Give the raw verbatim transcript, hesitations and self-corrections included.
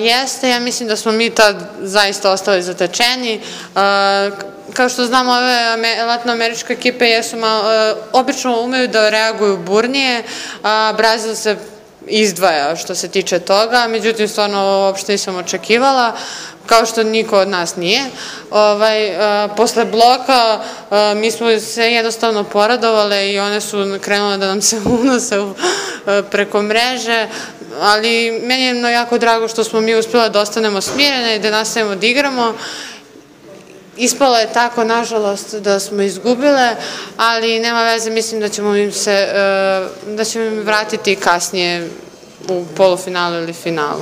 Jeste, ja mislim da smo mi tad zaista ostali zatečeni. Kao što znamo, ove latinoameričke ekipe obično umeju da reaguju burnije, a Brazil se izdvaja što se tiče toga, međutim, stvarno uopšte nisam očekivala, kao što niko od nas nije. Posle bloka mi smo se jednostavno poradovale i one su krenule da nam se unose preko mreže, ali meni je jako drago što smo mi uspjela da ostanemo smirene i da nastavimo da igramo. Ispalo je tako, nažalost, da smo izgubile, ali nema veze, mislim da ćemo im se, da ćemo im vratiti kasnije u polufinalu ili finalu.